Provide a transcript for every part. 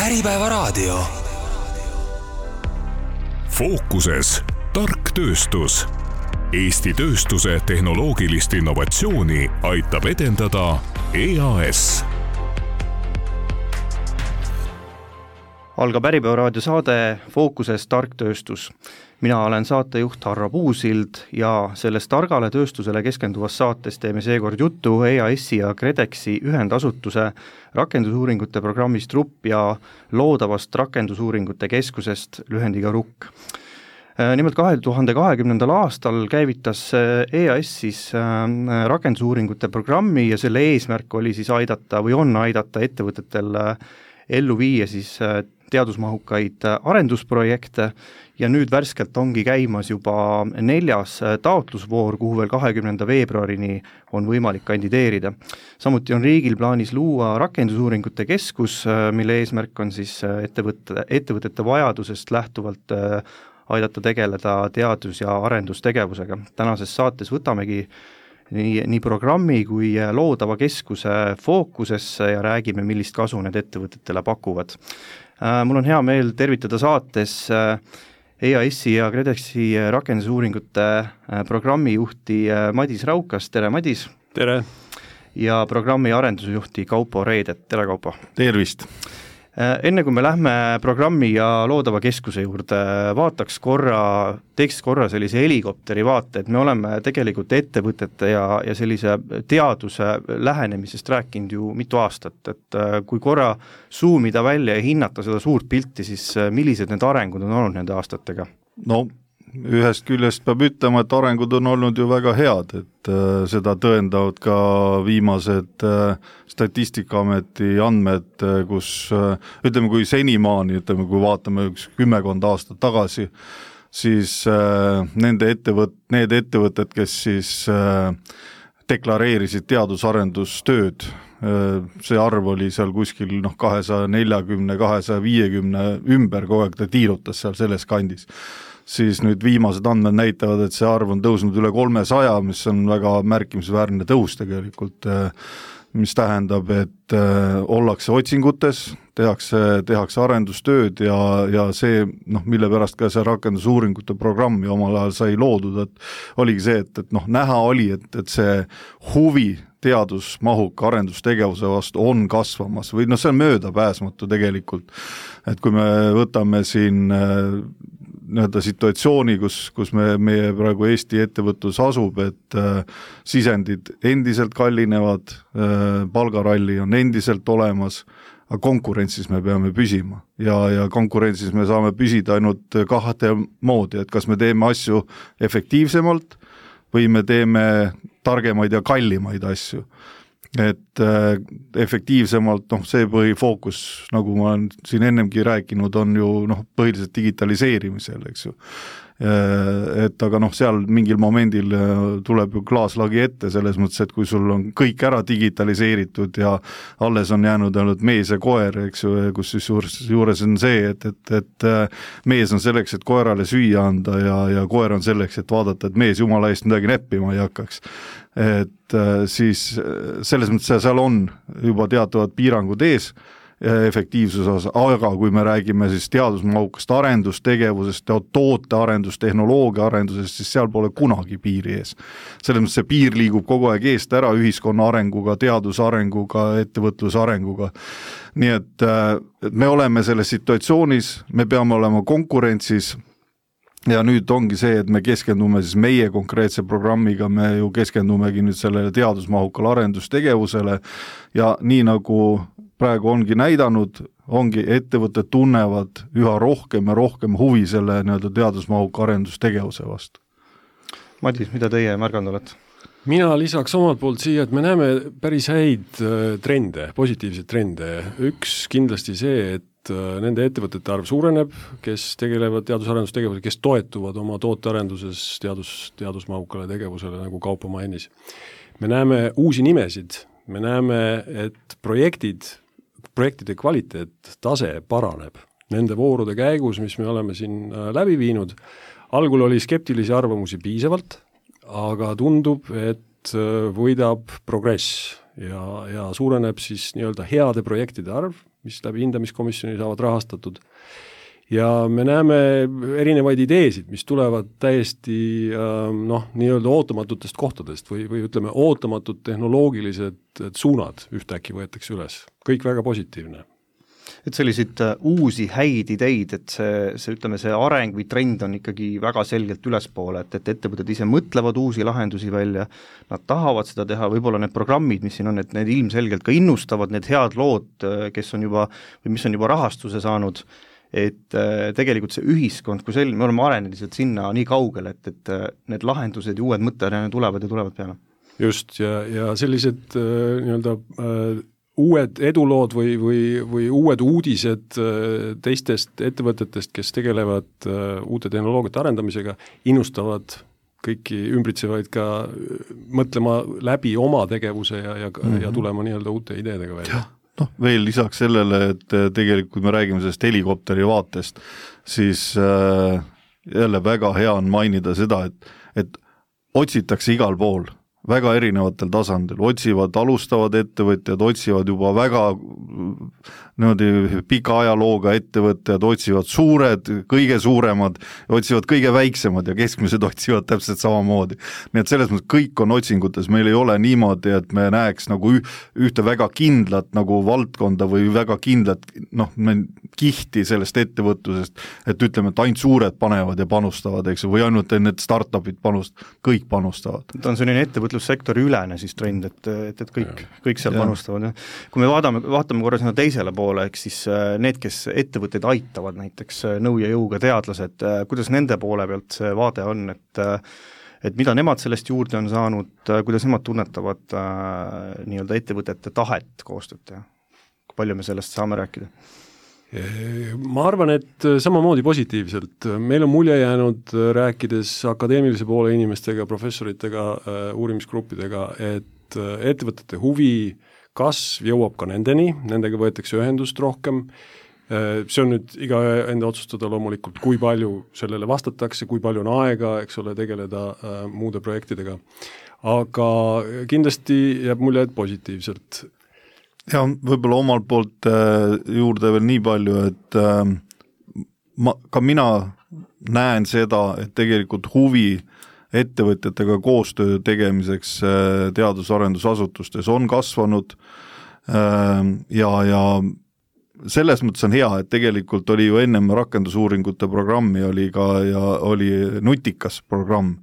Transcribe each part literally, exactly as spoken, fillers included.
Äripäevaraadio. Fookuses tark tööstus. Eesti tööstuse tehnoloogilist innovatsiooni aitab edendada E A S. Algab Äripäevaraadio saade Fookuses tark tööstus. Mina olen saatejuht Harro Puusild ja selles targale tööstusele keskenduvas saates teeme seekord juttu E A S-i ja KredExi ühendasutuse rakendusuuringute programmist R U P ja loodavast rakendusuuringute keskusest lühendiga R U K. Nimelt kahe tuhande kahekümnendal aastal käivitas E A S siis rakendusuuringute programmi ja selle eesmärk oli siis aidata või on aidata ettevõtetel ellu viia siis teadusmahukaid arendusprojekte ja nüüd värskelt ongi käimas juba neljas taotlusvoor, kuhu veel kahekümnenda veebruarini on võimalik kandideerida. Samuti on riigil plaanis luua rakendusuuringute keskus, mille eesmärk on siis ettevõtte, ettevõtete vajadusest lähtuvalt aidata tegeleda teadus- ja arendustegevusega. Tänases saates võtamegi nii, nii programmi kui loodava keskuse fookusesse ja räägime, millist kasu need ettevõtetele pakuvad. Mul on hea meel tervitada saates E A S-i ja KredExi rakendusuuringute programmijuhti Madis Raukas. Tere, Madis! Tere! Ja programmi arendusjuhti Kaupo Reidet. Tere, Kaupo! Tervist! Enne kui me lähme programmi ja loodava keskuse juurde, vaataks korra, teeks korra sellise helikopteri vaate, et me oleme tegelikult ettevõtete ja, ja sellise teaduse lähenemisest rääkinud ju mitu aastat, et kui korra zoomida välja ja hinnata seda suurt pilti, siis millised need arengud on olnud nende aastatega? No ühest küljest peab ütlema, et arengud on olnud ju väga head, et äh, seda tõendavad ka viimased äh, Statistikaameti andmed, äh, kus äh, ütleme, kui senimaani, ütleme, kui vaatame üks kümmekond aastat tagasi, siis äh, nende ettevõt, need ettevõtted, kes siis äh, deklareerisid teadus-arendustööd, äh, see arv oli seal kuskil noh, kahesaja neljakümne, kahesaja viiekümne ümber, kogu aeg ta tiirutas seal selles kandis. Siis nüüd viimased andmed näitavad, et see arv on tõusnud üle kolmesaja, mis on väga märkimisväärne tõus tegelikult, mis tähendab, et ollakse otsingutes, tehakse, tehakse arendustööd ja, ja see, noh, mille pärast ka see rakendusuuringute programmi omal ajal sai loodud, et oligi see, et, et noh, näha oli, et, et see huvi teadusmahuka arendustegevuse vastu on kasvamas või noh, see on möödapääsmatu tegelikult, et kui me võtame siin nii-öelda situatsiooni, kus, kus me, meie praegu Eesti ettevõtlus asub, et äh, sisendid endiselt kallinevad, äh, palgaralli on endiselt olemas, aga konkurentsis me peame püsima ja, ja konkurentsis me saame püsida ainult kahte moodi, et kas me teeme asju efektiivsemalt või me teeme targemaid ja kallimaid asju. Et äh, efektiivsemalt, noh, see põhifookus, nagu ma olen siin ennemgi rääkinud, on ju noh, põhiliselt digitaliseerimisel, eks ju. Et aga noh, seal mingil momendil tuleb ju klaaslagi ette selles mõttes, et kui sul on kõik ära digitaliseeritud ja alles on jäänud ainult mees ja koer, eks ju, kus siis juures, juures on see, et, et, et mees on selleks, et koerale süüa anda ja, ja koer on selleks, et vaadata, et mees jumala eest midagi näppima ei hakkaks. Et siis selles mõttes seal on juba teatavad piirangud ees efektiivsuse osas, aga kui me räägime siis teadusmahukast arendustegevusest, toote arendus, tehnoloogia arendusest, siis seal pole kunagi piiri ees. Selles mõttes see piir liigub kogu aeg eest ära ühiskonna arenguga, teaduse arenguga, ettevõtluse arenguga. Nii et, et me oleme selles situatsioonis, me peame olema konkurentsis ja nüüd ongi see, et me keskendume siis meie konkreetse programmiga, me ju keskendumegi nüüd sellele teadusmahukale arendustegevusele ja nii nagu praegu ongi näidanud, ongi ettevõtted tunnevad üha rohkem ja rohkem huvi selle nii-öelda teadusmahuka arendustegevuse vastu. Madis, mida teie märganud olete? Mina lisaks omalt poolt siia, et me näeme päris häid trende, positiivseid trende. Üks kindlasti see, et nende ettevõtete arv suureneb, kes tegelevad teadus-arendustegevusele, kes toetuvad oma tootearenduses teadus, teadusmahukale tegevusele, nagu Kaupo mainis. Me näeme uusi nimesid, me näeme, et projektid projektide kvaliteet, tase paraneb. Nende voorude käigus, mis me oleme siin läbi viinud, algul oli skeptilisi arvamusi piisavalt, aga tundub, et võidab progress ja, ja suureneb siis nii-öelda heade projektide arv, mis läbi hindamiskomisjoni saavad rahastatud. Ja me näeme erinevaid ideesid, mis tulevad täiesti noh, nii-öelda ootamatutest kohtadest või, või ütleme, ootamatud tehnoloogilised suunad ühtäkki võetakse üles. Kõik väga positiivne. Et selliseid uusi häid ideid, et see, see, ütleme, see areng või trend on ikkagi väga selgelt ülespoole, et, et ettevõtted ise mõtlevad uusi lahendusi välja, nad tahavad seda teha, võib-olla need programmid, mis siin on, et need ilmselgelt ka innustavad, need head lood, kes on juba, või mis on juba rahastuse saanud, et tegelikult see ühiskond, kui sel-, me oleme arenenud sinna nii kaugele, et, et need lahendused ja uued mõtted tulevad ja tulevad peale. Just, ja, ja sellised nii-öelda uued edulood või, või, või uued uudised teistest ettevõtetest, kes tegelevad uute tehnoloogiate arendamisega, innustavad kõiki ümbritsevaid ka mõtlema läbi oma tegevuse ja, ja, mm-hmm. ja tulema nii-öelda uute ideedega välja. Noh, veel lisaks sellele, et tegelikult kui me räägime sellest helikopteri vaatest, siis äh, jälle väga hea on mainida seda, et, et otsitakse igal pool, väga erinevatel tasandil, otsivad alustavad ettevõtjad, otsivad juba väga niimoodi pika ajalooga ettevõtjad, otsivad suured, kõige suuremad, otsivad kõige väiksemad ja keskmised otsivad täpselt samamoodi. Nii et selles mõttes kõik on otsingutes, meil ei ole niimoodi, et me näeks nagu ühte väga kindlat nagu valdkonda või väga kindlat noh, kihti sellest ettevõtlusest, et ütleme, et ainult suured panevad ja panustavad, eks, või ainult need startupid panust, kõik panustavad. Ta on selline ettevõtlussektori ülene siis trend, et, et, et kõik, kõik seal ja. panustavad. Kui me vaatame, vaatame korra sinna teisele poole, eks siis need, kes ettevõtteid aitavad, näiteks nõu ja jõuga teadlased, kuidas nende poole pealt see vaade on, et et mida nemad sellest juurde on saanud, kuidas nemad tunnetavad nii-öelda ettevõtete tahet koostööd teha? Kui palju me sellest saame rääkida? Ma arvan, et samamoodi positiivselt. Meil on mulje jäänud rääkides akadeemilise poole inimestega, professoritega, uurimisgruppidega, et ettevõtete huvi kasv jõuab ka nendeni, nendega võetakse ühendust rohkem. See on nüüd iga enda otsustada loomulikult, kui palju sellele vastatakse, kui palju on aega, eks ole, tegeleda äh, muude projektidega. Aga kindlasti jääb mulje, et positiivselt. Ja võib-olla omalt poolt äh, juurde veel nii palju, et äh, ma, ka mina näen seda, et tegelikult huvi ettevõtjatega koostöö tegemiseks äh, teadus-arendusasutustes on kasvanud äh, ja, ja selles mõttes on hea, et tegelikult oli ju ennem rakendusuuringute programmi oli ka ja oli nutikas programm,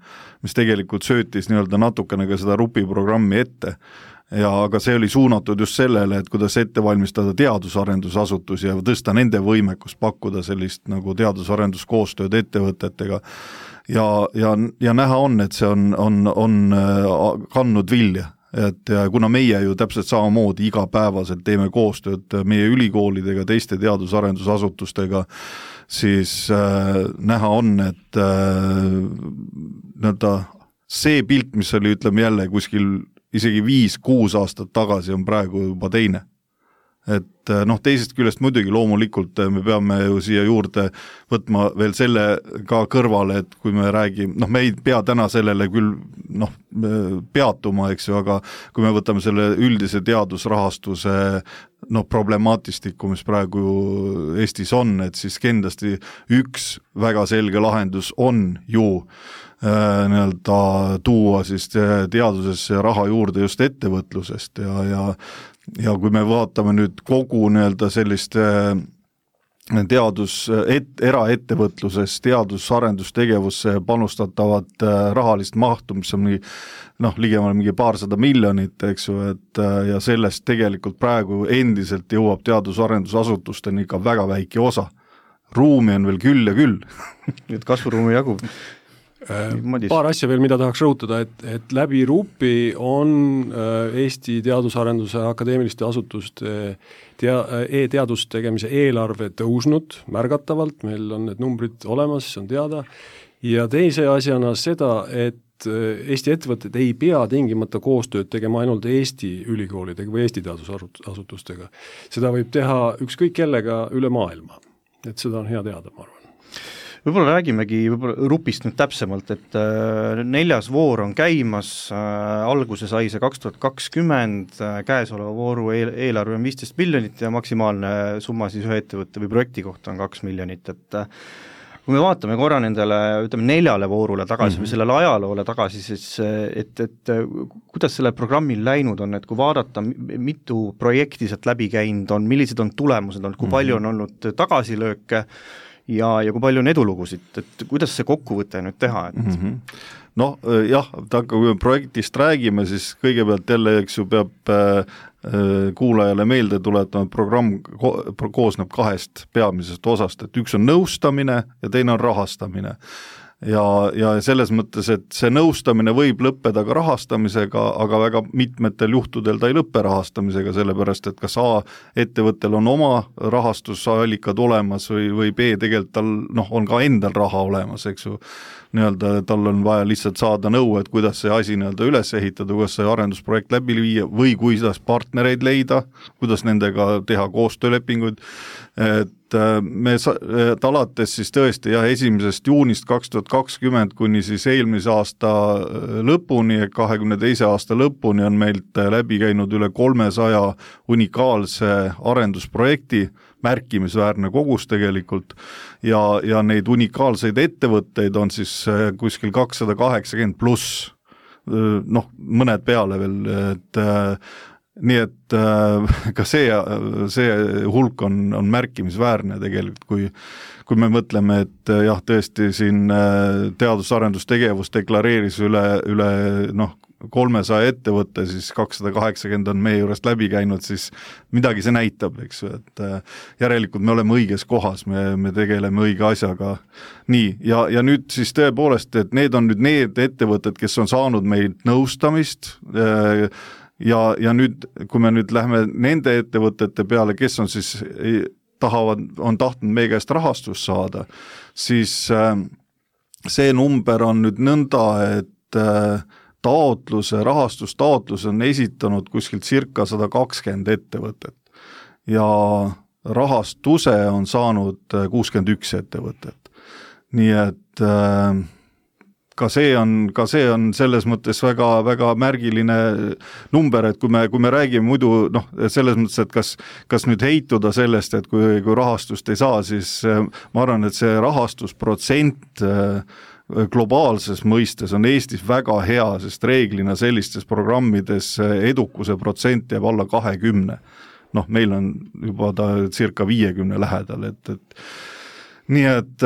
mis tegelikult söötis nii-öelda natukene ka seda RUPI programmi ette. Ja aga see oli suunatud just sellele, et kuidas ette valmistada teadusarendusasutusi ja tõsta nende võimekust pakkuda sellist nagu teadusarendus-koostööd ettevõtetega. Ja, ja, ja näha on, et see on, on, on kandnud vilja. Et ja kuna meie ju täpselt samamoodi igapäevaselt teeme koostööd meie ülikoolidega, teiste teadusarendusasutustega, siis äh, näha on, et äh, nõnda, see pilt, mis oli, ütleme jälle kuskil isegi viis-kuus aastat tagasi on praegu juba teine. Et noh, teisest küljest muidugi loomulikult me peame ju siia juurde võtma veel selle ka kõrvale, et kui me räägime, noh me ei pea täna sellele küll noh, peatuma, eks ju, aga kui me võtame selle üldise teadusrahastuse noh, problemaatistiku, mis praegu Eestis on, et siis kindlasti üks väga selge lahendus on ju äh, nii-öelda tuua siis teadusesse raha juurde just ettevõtlusest ja, ja ja kui me vaatame nüüd kogu nii-öelda sellist teadus, et, eraettevõtluses teadus-arendustegevusse panustatavat rahalist mahtu, mis on mingi, noh, ligemale mingi paarsada miljonit, eks ju, et ja sellest tegelikult praegu endiselt jõuab teadus-arendusasutusteni ikka väga väike osa. Ruumi on veel küll ja küll. Nüüd kasvuruumi jagub. Paar asja veel, mida tahaks rõhutada, et, et läbi RUPI on Eesti teadusarenduse akadeemiliste asutuste tea, e-teadust tegemise eelarve tõusnud märgatavalt, meil on need numbrid olemas, see on teada, ja teise asjana seda, et Eesti ettevõtted ei pea tingimata koostööd tegema ainult Eesti ülikoolidega või Eesti teadusasutustega. Seda võib teha ükskõik kellega üle maailma, et seda on hea teada, ma arvan. Võib-olla räägimegi võib-olla rupist nüüd täpsemalt, et neljas voor on käimas, alguse sai see kaks tuhat kakskümmend, käesoleva vooru eel, eelarve on viisteist miljonit ja maksimaalne summa siis ühe ettevõtte või projekti kohta on kaks miljonit, et kui me vaatame korra nendele, ütleme neljale voorule tagasi mm-hmm. või sellele ajaloole tagasi, siis et, et kuidas selle programmil läinud on, et kui vaadata, mitu projekti sealt läbi käinud on, millised on tulemused on, kui mm-hmm. palju on olnud tagasilööke ja, ja kui palju on edulugusid, et kuidas see kokkuvõte nüüd teha, et mm-hmm. noh jah, kui me projektist räägime, siis kõigepealt jälle, eks ju, peab äh, kuulajale meelde tuletama, et programm ko- koosneb kahest peamisest osast, et üks on nõustamine ja teine on rahastamine. Ja, ja selles mõttes, et see nõustamine võib lõppeda ka rahastamisega, aga väga mitmetel juhtudel ta ei lõppe rahastamisega, sellepärast, et kas A ettevõttel on oma rahastusallikad olemas või, või B tegelikult tal noh, on ka endal raha olemas, eks ju, nii-öelda tal on vaja lihtsalt saada nõu, et kuidas see asi nii-öelda üles ehitada, kuidas see arendusprojekt läbi viia või kuidas partnereid leida, kuidas nendega teha koostöölepinguid, et me et alates siis tõesti jah, esimesest juunist kaks tuhat kakskümmend kuni siis eelmise aasta lõpuni, kahekümne teise aasta lõpuni on meilt läbi käinud üle kolmesaja unikaalse arendusprojekti, märkimisväärne kogus tegelikult ja, ja neid unikaalseid ettevõtteid on siis kuskil kakssada kaheksakümmend pluss, noh, mõned peale veel, et nii et ka see, see hulk on, on märkimisväärne tegelikult, kui, kui me mõtleme, et jah, tõesti siin teadus-arendustegevus deklareeris üle, üle noh, kolmesaja ettevõtte, siis kakssada kaheksakümmend on meie juurest läbi käinud, siis midagi see näitab, eks ju, et järelikult me oleme õiges kohas, me, me tegeleme õige asjaga. Nii, ja, ja nüüd siis tõepoolest, et need on nüüd need ettevõtted, kes on saanud meid nõustamist, ja, ja nüüd, kui me nüüd lähme nende ettevõtete peale, kes on siis, tahavad, on tahtnud meie käest rahastust saada, siis see number on nüüd nõnda, et taotluse, rahastustaotluse on esitanud kuskilt circa sada kakskümmend ettevõtet ja rahastuse on saanud kuuskümmend üks ettevõtet. Nii et ka see on, ka see on selles mõttes väga, väga märgiline number, et kui me, kui me räägime muidu, noh, selles mõttes, et kas, kas nüüd heituda sellest, et kui, kui rahastust ei saa, siis ma arvan, et see rahastusprotsent globaalses mõistes on Eestis väga hea, sest reeglina sellistes programmides edukuse protsent jääb alla kahekümne. Noh, meil on juba ta circa viiekümne lähedal, et, et nii et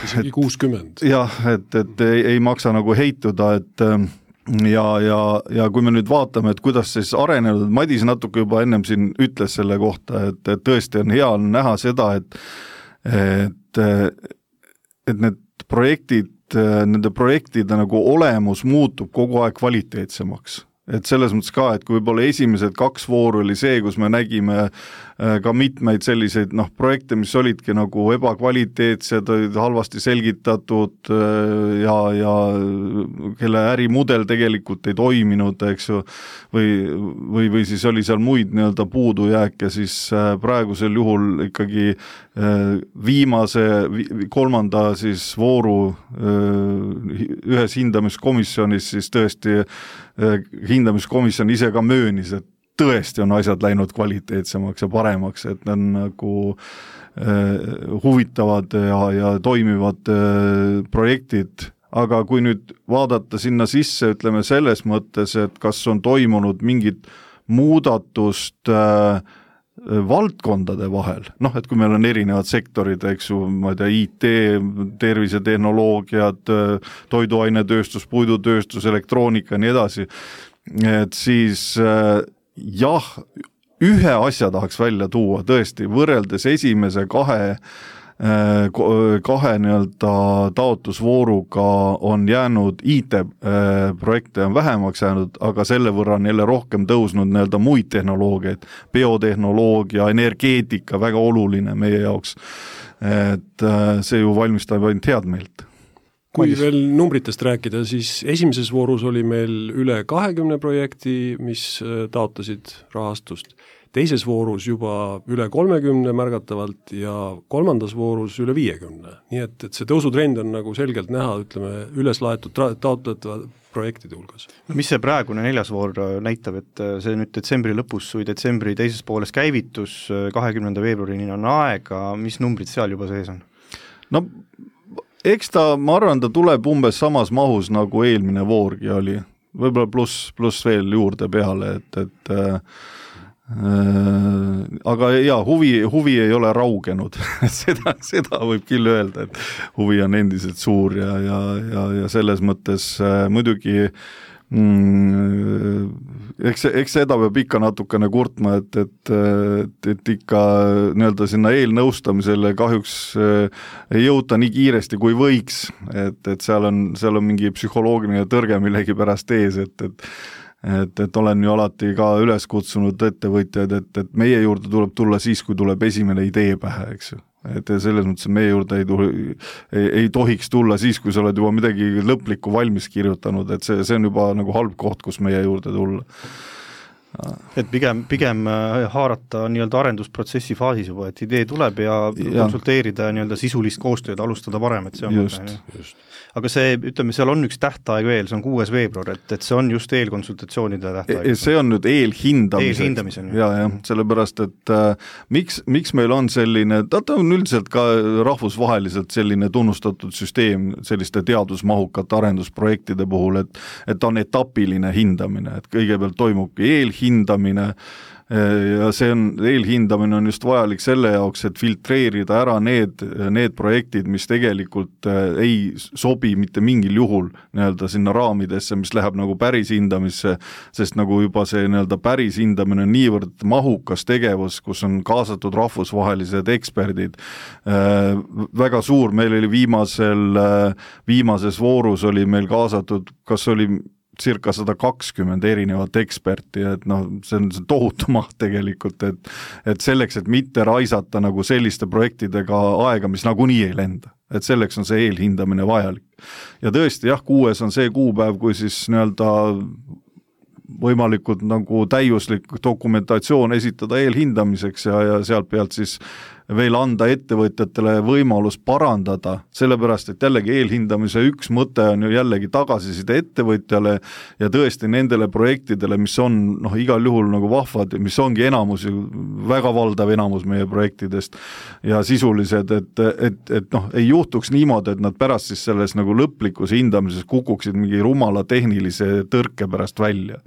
isegi kuuskümmend. Jah, et, et ei, ei maksa nagu heituda, et ja, ja, ja kui me nüüd vaatame, et kuidas siis arenenud, Madis natuke juba ennem siin ütles selle kohta, et, et tõesti on hea näha seda, et, et, et need projektid, nende projektide nagu olemus muutub kogu aeg kvaliteetsemaks. Et selles mõttes ka, et kui võib-olla esimesed kaks vooru oli see, kus me nägime ka mitmeid selliseid noh, projekte, mis olidki nagu ebakvaliteetsed, olid halvasti selgitatud ja, ja kelle ärimudel tegelikult ei toiminud, eks ju, või, või, või siis oli seal muid nii-öelda puudujääke, siis praegusel juhul ikkagi viimase, kolmanda siis vooru ühes hindamiskomisjonis siis tõesti hindamiskomisjon ise ka möönis, et tõesti on asjad läinud kvaliteetsemaks ja paremaks, et need on nagu äh, huvitavad ja, ja toimivad äh, projektid, aga kui nüüd vaadata sinna sisse, ütleme selles mõttes, et kas on toimunud mingit muudatust äh, valdkondade vahel, noh, et kui meil on erinevad sektorid, eks ju, ma ei tea, I T, tervisetehnoloogiad, toiduainetööstus, puidutööstus, elektroonika ja nii edasi, et siis äh, jah, ühe asja tahaks välja tuua, tõesti, võrreldes esimese kahe, kahe nii-öelda taotlusvooruga on jäänud I T-projekte on vähemaks jäänud, aga selle võrra on jälle rohkem tõusnud nii-öelda muid tehnoloogiaid, biotehnoloogia, energeetika, väga oluline meie jaoks. Et see ju valmistab ainult head meelt. Kui veel numbritest rääkida, siis esimeses voorus oli meil üle kahekümne projekti, mis taotlesid rahastust. teises voorus juba üle kolmekümne märgatavalt ja kolmandas voorus üle viiekümne. Nii et, et see tõusutrend on nagu selgelt näha, ütleme, üles laetud taotletava projektide hulgas. Mis see praegune neljas voor näitab, et see nüüd detsembri lõpus või detsembri teises pooles käivitus, kahekümnenda veebruarini on aega, mis numbrid seal juba sees on? No eks ta, ma arvan, ta tuleb umbes samas mahus nagu eelmine voorgi oli, võib-olla pluss, pluss veel juurde peale, et, et äh, äh, aga jaa, huvi, huvi ei ole raugenud seda, seda võib küll öelda, et huvi on endiselt suur ja, ja, ja, ja selles mõttes äh, muidugi mm, eks, eks seda peab ikka natukene kurtma, et, et, et, et ikka nii-öelda sinna eelnõustamisele kahjuks ei jõuta nii kiiresti kui võiks, et, et seal on, seal on mingi psühholoogiline tõrge millegi pärast ees, et, et et, et olen ju alati ka üles kutsunud ettevõtjaid, et, et meie juurde tuleb tulla siis, kui tuleb esimene idee pähe, eks ju. Et selles mõttes meie juurde ei, tuli, ei, ei tohiks tulla siis, kui sa oled juba midagi lõplikku valmis kirjutanud, et see, see on juba nagu halb koht, kus meie juurde tulla. Et pigem, pigem haarata nii-öelda arendusprotsessi faasis juba, et idee tuleb ja, ja. konsulteerida nii-öelda sisulist koostööd, alustada varem, et see on just, mõte, just. Aga see, ütleme, seal on üks tähtaeg veel, see on kuues veebruar, et, et see on just eelkonsultatsioonide tähtaeg. E, see on nüüd eelhindamiseks. Eelhindamisel. Ja, ja, sellepärast, et äh, miks, miks meil on selline, ta on üldiselt ka rahvusvaheliselt selline tunnustatud süsteem selliste teadusmahukate arendusprojektide puhul, et, et ta on etapiline hindamine, et kõigepealt toimubki eelhindamine ja see on, eelhindamine on just vajalik selle jaoks, et filtreerida ära need, need projektid, mis tegelikult ei sobi mitte mingil juhul nii-öelda sinna raamidesse, mis läheb nagu päris hindamisse, sest nagu juba see nii-öelda päris hindamine on niivõrd mahukas tegevus, kus on kaasatud rahvusvahelised eksperdid. Väga suur, meil oli viimasel, viimases voorus oli meil kaasatud, kas oli circa sada kakskümmend erinevat eksperti, et noh, see on see tohutu maht tegelikult, et, et selleks, et mitte raisata nagu selliste projektidega aega, mis nagunii ei lenda. Et selleks on see eelhindamine vajalik. Ja tõesti, jah, kuues on see kuupäev, kui siis nii-öelda võimalikult nagu täiuslik dokumentatsioon esitada eelhindamiseks ja, ja sealt pealt siis veel anda ettevõtjatele võimalus parandada, sellepärast, et jällegi eelhindamise üks mõte on ju jällegi tagasiside ettevõtjale ja tõesti nendele projektidele, mis on noh, igal juhul nagu vahvad, mis ongi enamus, väga valdav enamus meie projektidest ja sisulised, et, et, et noh, ei juhtuks niimoodi, et nad pärast siis selles nagu lõplikus hindamises kukuksid mingi rumala tehnilise tõrke pärast välja.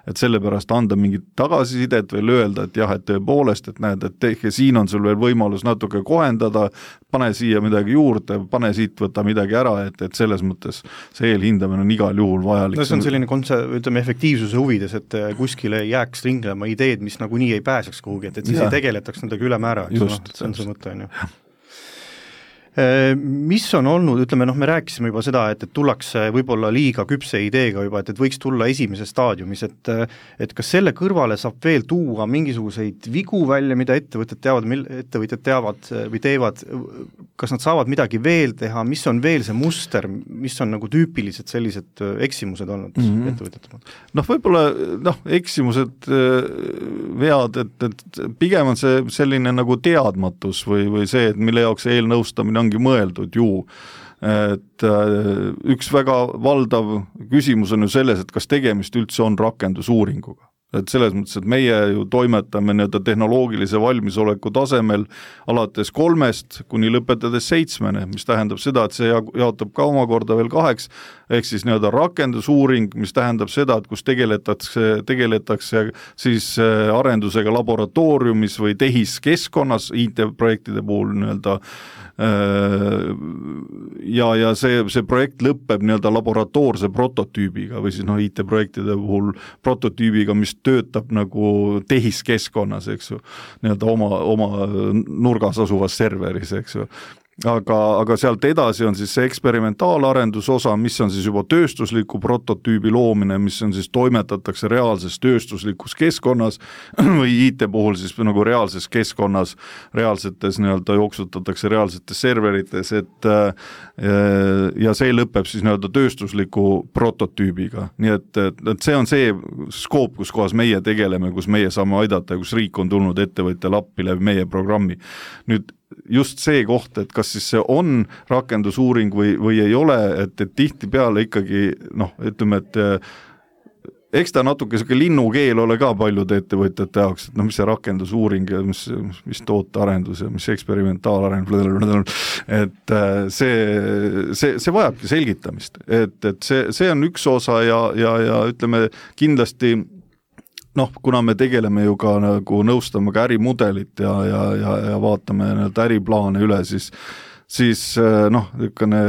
Et sellepärast anda mingit tagasisidet veel öelda, et jah, et tõepoolest, et näed, et tehke, siin on sul veel võimalus natuke kohendada, pane siia midagi juurde, pane siit, võtta midagi ära, et, et selles mõttes see eelhindamine on igal juhul vajalik. No see on selline konse- ütleme, efektiivsuse huvides, et kuskile jääks ringlema ideed, mis nagu nii ei pääseks kuhugi, et, et siis ja. ei tegeletaks nendega ülemäära, just, no, see on see mõte, on ju. Mis on olnud, ütleme, noh, me rääkisime juba seda, et, et tullakse võib-olla liiga küpse ideega juba, et, et võiks tulla esimese staadiumis, et, et kas selle kõrvale saab veel tuua mingisuguseid vigu välja, mida ettevõtted teavad, ettevõtjad teavad või teevad, kas nad saavad midagi veel teha, mis on veel see muster, mis on nagu tüüpilised sellised eksimused olnud mm-hmm. ettevõtjatele? Noh, võib-olla noh, eksimused, vead, et, et pigem on see selline nagu teadmatus või, või see, et mille jaoks eelnõustamine ongi mõeldud ju, et üks väga valdav küsimus on ju selles, et kas tegemist üldse on rakendusuuringuga. Et selles mõttes, et meie ju toimetame nii-öelda tehnoloogilise valmisoleku tasemel alates kolmest kuni lõpetades seitsmene, mis tähendab seda, et see jaotab ka omakorda veel kaheks, ehk siis nii-öelda rakendusuuring, mis tähendab seda, et kus tegeletakse, tegeletakse siis arendusega laboratooriumis või tehiskeskkonnas I T-projektide puhul nii-öelda ja, ja see, see projekt lõpeb nii-öelda laboratoorse prototüübiga või siis noh, I T-projektide puhul prototüübiga, mis töötab nagu tehiskeskkonnas, eks ju, nii-öelda oma, oma nurgas asuvas serveris, eks ju. aga, aga sealt edasi on siis see eksperimentaalarendus osa, mis on siis juba tööstusliku prototüübi loomine, mis on siis toimetatakse reaalses tööstuslikus keskkonnas või I T puhul siis nagu reaalses keskkonnas, reaalsetes nii-öelda jooksutatakse reaalsetes serverites, et ja see lõpeb siis nii-öelda tööstusliku prototüübiga. Nii et, et see on see skoop, kus kohas meie tegeleme, kus meie saame aidata ja kus riik on tulnud ettevõtjal appi läbi meie programmi. Nüüd just see koht, et kas siis see on rakendusuuring või, või ei ole, et, et tihti peale ikkagi, noh, ütleme, et eks ta natuke selline linnukeel ole ka paljude ettevõtjate jaoks, et noh, mis see rakendusuuring ja mis, mis tootearendus ja mis eksperimentaalarendus, et see, see, see vajabki selgitamist, et, et see, see on üks osa ja, ja, ja ütleme kindlasti noh, kuna me tegeleme ju ka nagu nõustama ka ärimudelit ja, ja, ja, ja vaatame nii-öelda äriplaane üle, siis, siis noh, niisugune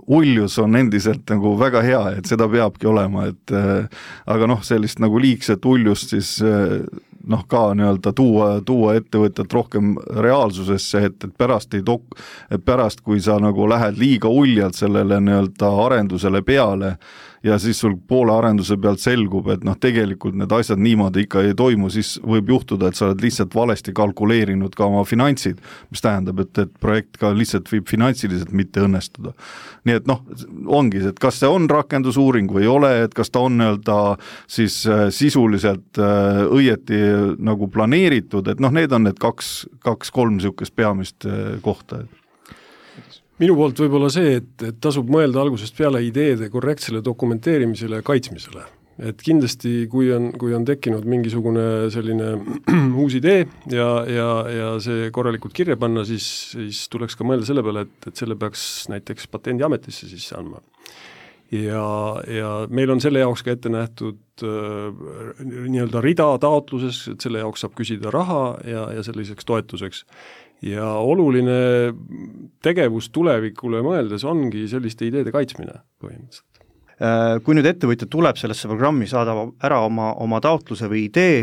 uljus on endiselt nagu väga hea, et seda peabki olema, et aga noh, sellist nagu liigset uljust siis noh, ka nii-öelda tuua, tuua ettevõtjat rohkem reaalsusesse, et, et pärast ei tok-, et pärast, kui sa nagu lähed liiga uljalt sellele nii-öelda arendusele peale, ja siis sul poole arenduse pealt selgub, et noh, tegelikult need asjad niimoodi ikka ei toimu, siis võib juhtuda, et sa oled lihtsalt valesti kalkuleerinud ka oma finantsid, mis tähendab, et, et projekt ka lihtsalt võib finantsiliselt mitte õnnestuda. Nii et noh, ongi, et kas see on rakendusuuring või ei ole, et kas ta on nii-öelda siis sisuliselt õieti nagu planeeritud, et noh, need on need kaks, kaks kolm niisugust peamist kohta. Minu poolt võib-olla see, et, et tasub mõelda algusest peale ideede korrektsele dokumenteerimisele ja kaitsmisele. Et kindlasti, kui on, kui on tekkinud mingisugune selline uus idee ja, ja, ja see korralikult kirja panna, siis, siis tuleks ka mõelda selle peale, et, et selle peaks näiteks patendiametisse sisse andma. Ja, ja meil on selle jaoks ka ette nähtud äh, nii-öelda rida taotluses, et selle jaoks saab küsida raha ja, ja selliseks toetuseks. Ja oluline tegevus tulevikule mõeldes ongi selliste ideede kaitsmine põhimõtteliselt. Kui nüüd ettevõtja tuleb sellesse programmi, saadab ära oma, oma taotluse või idee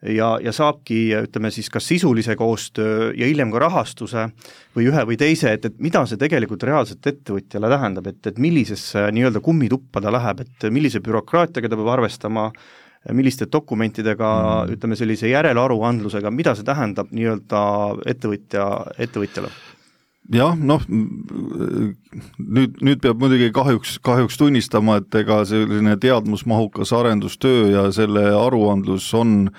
ja, ja saabki, ütleme siis kas sisulise koostöö ja hiljem ka rahastuse või ühe või teise, et, et mida see tegelikult reaalselt ettevõtjale tähendab, et, et millisesse nii-öelda kummituppa ta läheb, et millise bürokraatiaga ta peab arvestama, milliste dokumentidega, mm. ütleme sellise järelaruandlusega, mida see tähendab nii-öelda ettevõtja, ettevõtjale? Jah, noh, nüüd, nüüd peab muidugi kahjuks, kahjuks tunnistama, et ega selline teadmusmahukas arendustöö ja selle aruandlus on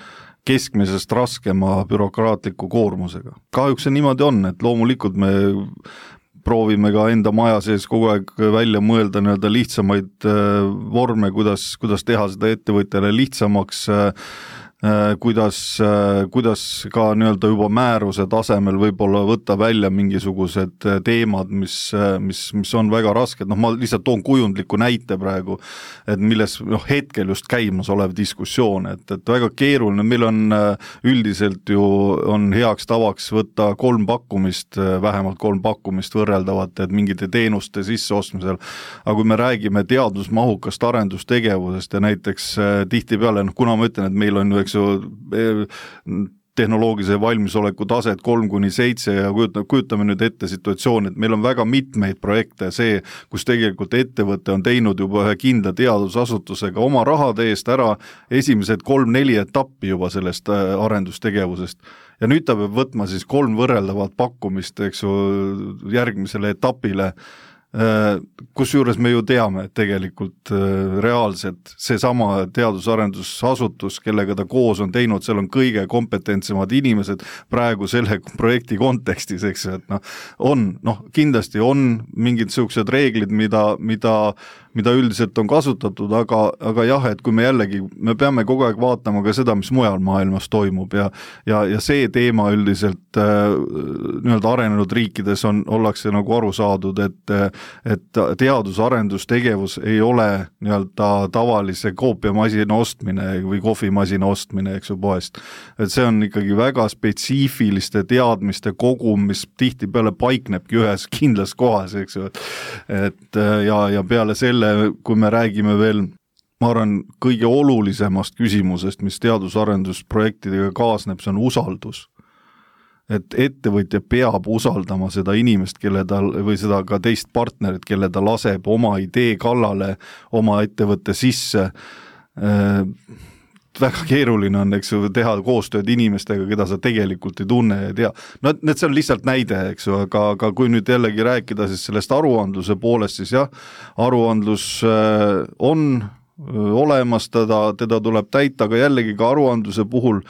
keskmisest raskema bürokraatliku koormusega. Kahjuks see niimoodi on, et loomulikult me proovime ka enda maja sees kogu aeg välja mõelda nii-öelda lihtsamaid vorme, kuidas, kuidas teha seda ettevõtjale lihtsamaks, kuidas, kuidas ka nii-öelda juba määruse tasemel võib-olla võtta välja mingisugused teemad, mis, mis, mis on väga rasked. Noh, ma lihtsalt toon kujundliku näite praegu, et milles noh, hetkel just käimas olev diskussioon, et, et väga keeruline, meil on üldiselt ju on heaks tavaks võtta kolm pakkumist, vähemalt kolm pakkumist võrreldavat, et mingite teenuste sisseostmisel. Aga kui me räägime teadusmahukast arendustegevusest ja näiteks tihtipeale, noh, kuna ma ütlen, et meil on ju eks tehnoloogilise valmisoleku taset kolm kuni seitse ja kujutame nüüd ette situatsiooni, et meil on väga mitmeid projekte, see, kus tegelikult ettevõte on teinud juba ühe kindla teadusasutusega oma rahade eest ära esimesed kolm-neli etappi juba sellest arendustegevusest. Ja nüüd ta peab võtma siis kolm võrreldavat pakkumist, eks ju, järgmisele etapile, kus juures me ju teame, et tegelikult reaalselt see sama teadusarendusasutus, kellega ta koos on teinud, seal on kõige kompetentsemad inimesed praegu selle projekti kontekstis, eks, et noh, on, noh, kindlasti on mingid sellised reeglid, mida, mida mida üldiselt on kasutatud, aga, aga jah, et kui me jällegi, me peame kogu aeg vaatama ka seda, mis mujal maailmas toimub ja, ja, ja see teema üldiselt äh, nii-öelda arenenud riikides on, ollakse nagu aru saadud, et, et teadusarendustegevus ei ole nii-öelda tavalise koopiamasina ostmine või kohvimasina ostmine, eks ju, poest. Et see on ikkagi väga spetsiifiliste teadmiste kogum, mis tihtipeale paiknebki ühes kindlas kohas, eks ju, et ja, ja peale selle kui me räägime veel, ma arvan, kõige olulisemast küsimusest, mis teadusarendusprojektidega kaasneb, see on usaldus. et ettevõtja peab usaldama seda inimest, kelle ta, või seda ka teist partnerit, kelle ta laseb oma idee kallale, oma ettevõtte sisse. Väga keeruline on, eks ju, teha koostööd inimestega, keda sa tegelikult ei tunne ja tea. No need see on lihtsalt näide, eks ju, aga, aga kui nüüd jällegi rääkida siis sellest aruandluse poolest, siis jah, aruandlus on olemas, teda, teda tuleb täita, aga jällegi ka aruandluse puhul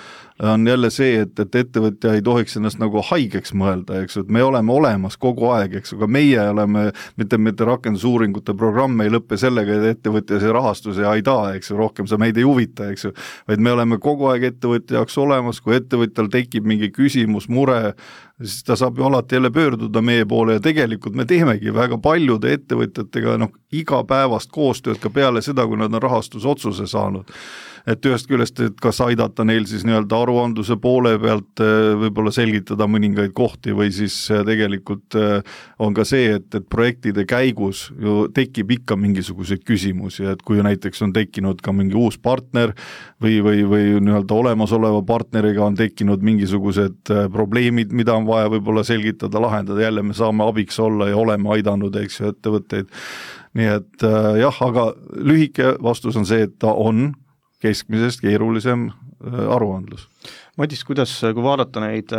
on jälle see, et, et ettevõtja ei tohiks ennast nagu haigeks mõelda, eks ju, et me oleme olemas kogu aeg, eks ju, aga meie oleme, mitte, mitte rakendusuuringute programm ei lõppe sellega, et ettevõtja see rahastus ja ei taa, eks ju, rohkem sa meid ei huvita, eks ju, vaid me oleme kogu aeg ettevõtja jaoks olemas, kui ettevõtjal tekib mingi küsimus, mure, siis ta saab ju alati jälle pöörduda meie poole ja tegelikult me teemegi väga paljude ettevõtjatega noh, igapäevast koostööd ka peale seda, kui nad on rahastusotsuse saanud. Et ühest küljest, et kas aidata neil siis nii-öelda aruandluse poole pealt võib-olla selgitada mõningaid kohti või siis tegelikult on ka see, et, et projektide käigus ju tekib ikka mingisuguseid küsimusi, et kui näiteks on tekkinud ka mingi uus partner või, või, või nii-öelda olemasoleva partneriga on tekkinud mingisugused probleemid, mida on vaja võib-olla selgitada, lahendada, jälle me saame abiks olla ja oleme aidanud, eks ju, ettevõtteid. Nii et jah, aga lühike vastus on see, et ta on keskmisest keerulisem aruandlus. Madis, kuidas, kui vaadata neid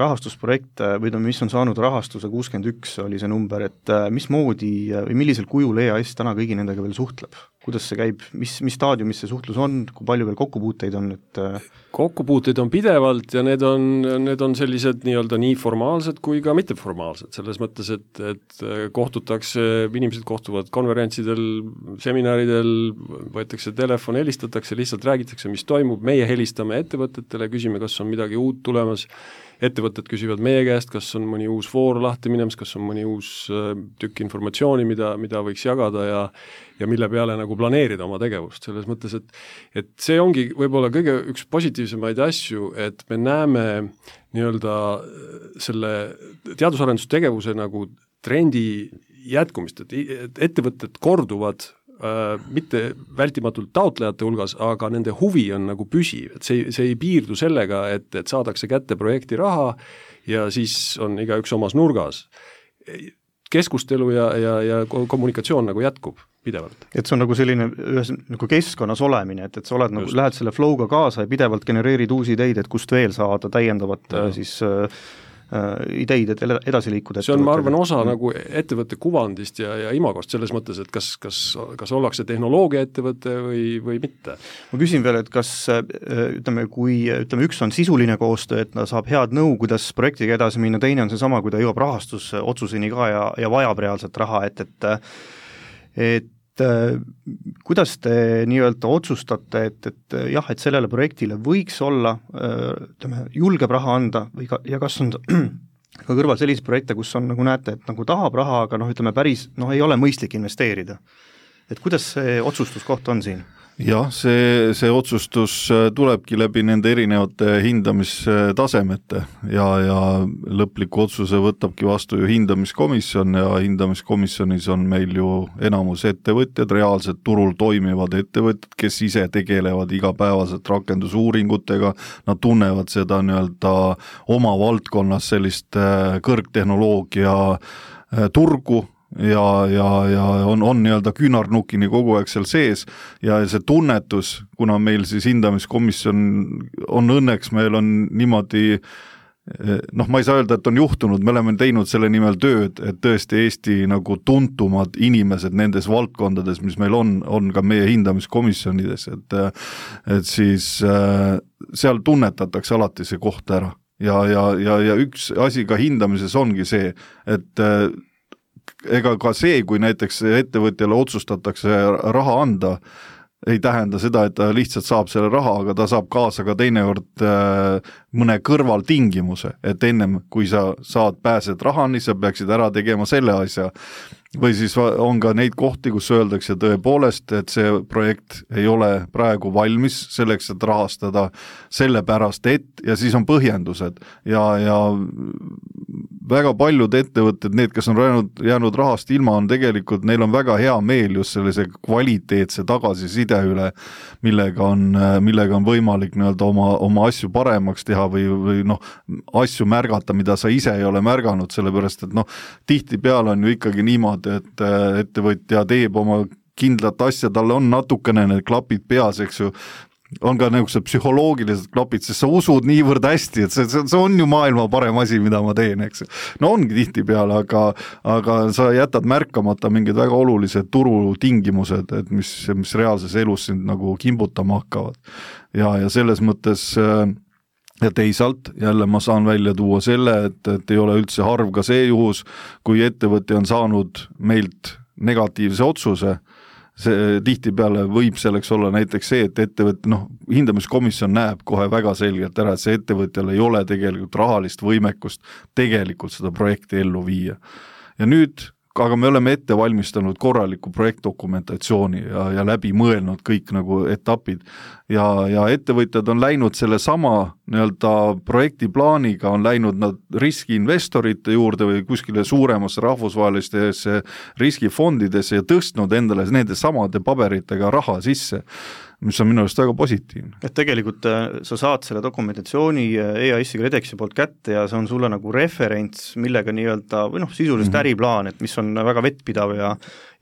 rahastusprojekte või mis on saanud rahastuse, kuuskümmend üks oli see number, et mis moodi või millisel kujul E A S täna kõigi nendega veel suhtleb? Kuidas see käib, mis, mis staadiumis see suhtlus on, kui palju veel kokkupuuteid on? Et... Kokkupuuteid on pidevalt ja need on, need on sellised nii-öelda nii formaalsed kui ka mitteformaalsed, selles mõttes, et, et kohtutakse, inimesed kohtuvad konverentsidel, seminaridel, võetakse telefon, helistatakse, lihtsalt räägitakse, mis toimub, meie helistame ettevõtetele, küsime, kas on midagi uut tulemas, ettevõtted küsivad meie käest, kas on mõni uus voor lahti minemas, kas on mõni uus tükk informatsiooni, mida, mida võiks jagada ja, ja mille peale nagu planeerida oma tegevust, selles mõttes, et, et see ongi võib-olla kõige üks positiivsemaid asju, et me näeme nii-öelda selle teadusarendustegevuse nagu trendi jätkumist, et ettevõtted korduvad mitte vältimatult taotlejate hulgas, aga nende huvi on nagu püsiv, et see, see ei piirdu sellega, et, et saadakse kätte projekti raha ja siis on igaüks omas nurgas. Keskustelu ja, ja, ja kommunikatsioon nagu jätkub pidevalt. Et see on nagu selline ühes nagu keskkonnas olemine, et, et sa oled nagu, lähed selle flow'ga kaasa ja pidevalt genereerid uusi ideid, et kust veel saada täiendavat ja. siis äh, ideid, et edasi liikuda. See on, ma arvan, osa mm. nagu ettevõtte kuvandist ja, ja imagost selles mõttes, et kas, kas, kas ollakse tehnoloogia ettevõte või, või mitte. Ma küsin veel, et kas ütleme, kui ütleme, üks on sisuline koostöö, et ta saab head nõu, kuidas projektiga edasi minna, teine on see sama, kui ta jõuab rahastusotsuseni ka ja, ja vajab reaalselt raha, et, et, et kuidas te nii-öelda otsustate, et, et jah, et sellele projektile võiks olla, ütleme, julgeb raha anda või ka, ja kas on ka kõrval selliseid projekte, kus on, nagu näete, et nagu tahab raha, aga noh, ütleme päris, noh, ei ole mõistlik investeerida. Et kuidas see otsustuskoht on siin? Jah, see, see otsustus tulebki läbi nende erinevate hindamistasemete ja, ja lõpliku otsuse võtabki vastu ju hindamiskomisjon ja hindamiskomisjonis on meil ju enamus ettevõtjad, reaalselt turul toimivad ettevõtjad, kes ise tegelevad igapäevaselt rakendusuuringutega, nad tunnevad seda nii-öelda oma valdkonnas sellist kõrgtehnoloogia turgu, ja, ja, ja on, on nii-öelda küünarnukini kogu aeg seal sees ja see tunnetus, kuna meil siis hindamiskomisjon on õnneks, meil on niimoodi, noh, ma ei saa öelda, et on juhtunud, me oleme teinud selle nimel tööd, et tõesti Eesti nagu tuntumad inimesed nendes valdkondades, mis meil on, on ka meie hindamiskomisjonides, et, et siis seal tunnetatakse alati see koht ära ja, ja, ja, ja üks asi ka hindamises ongi see, et ega ka see, kui näiteks ettevõtjale otsustatakse raha anda, ei tähenda seda, et ta lihtsalt saab selle raha, aga ta saab kaasa ka teinekord mõne kõrvaltingimuse, et ennem kui sa saad pääsed rahani, sa peaksid ära tegema selle asja. Või siis on ka neid kohti, kus öeldakse tõepoolest, et see projekt ei ole praegu valmis selleks, et rahastada sellepärast, et ja siis on põhjendused ja, ja väga paljud ettevõtted, need, kes on jäänud, jäänud rahast ilma, on tegelikult, neil on väga hea meel just sellise kvaliteetse tagasiside üle, millega on, millega on võimalik nii-öelda oma, oma asju paremaks teha või, või noh, asju märgata, mida sa ise ei ole märganud, sellepärast et noh, tihtipeale on ju ikkagi niimoodi, et ettevõtja teeb oma kindlat asja, tal on natukene need klapid peas, eks ju, on ka nagu see psühholoogilised klapid, sest sa usud niivõrd hästi, et see, see, see on ju maailma parem asi, mida ma teen, eks. No ongi tihtipeale, aga, aga sa jätad märkamata mingid väga olulised turutingimused, et mis, mis reaalses elus sind nagu kimbutama hakkavad. Ja, ja selles mõttes ja teisalt jälle ma saan välja tuua selle, et, et ei ole üldse harv ka see juhus, kui ettevõte on saanud meilt negatiivse otsuse, see tihtipeale võib selleks olla näiteks see, et ettevõte, noh, hindamiskomisjon näeb kohe väga selgelt ära, et see ettevõtjal ei ole tegelikult rahalist võimekust tegelikult seda projekti ellu viia. Ja nüüd, aga me oleme ette valmistanud korraliku projektdokumentatsiooni ja, ja läbi mõelnud kõik nagu etapid ja, ja ettevõtjad on läinud selle sama nii-öelda projektiplaaniga, on läinud nad riskiinvestorite juurde või kuskile suuremasse rahvusvahelistesse riskifondidesse ja tõstnud endale nende samade paberitega raha sisse, mis on minu arust väga positiivne. Et tegelikult sa saad selle dokumentatsiooni E A S-i KredExi poolt kätte ja see on sulle nagu referents, millega nii-öelda, või noh, sisuliselt mm-hmm. äriplaan, et mis on väga vettpidav ja,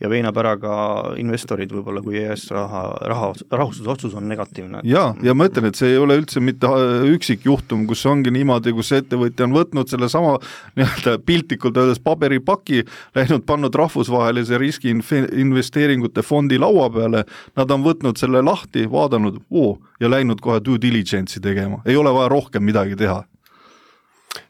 ja veinab ära ka investorid võib-olla, kui E A S raha, raha, rahustusotsus on negatiivne. Ja, ja ma ütlen, et see ei ole üldse mitte üksik juhtum, kus ongi niimoodi, kus ettevõtja on võtnud selle sama nii-öelda piltlikult öeldes paberipaki, läinud pannud rahvusvahelise riski investeeringute fondi laua peale, nad on võtnud selle lahti, vaadanud oo, ja läinud kohe due diligence'i tegema. Ei ole vaja rohkem midagi teha.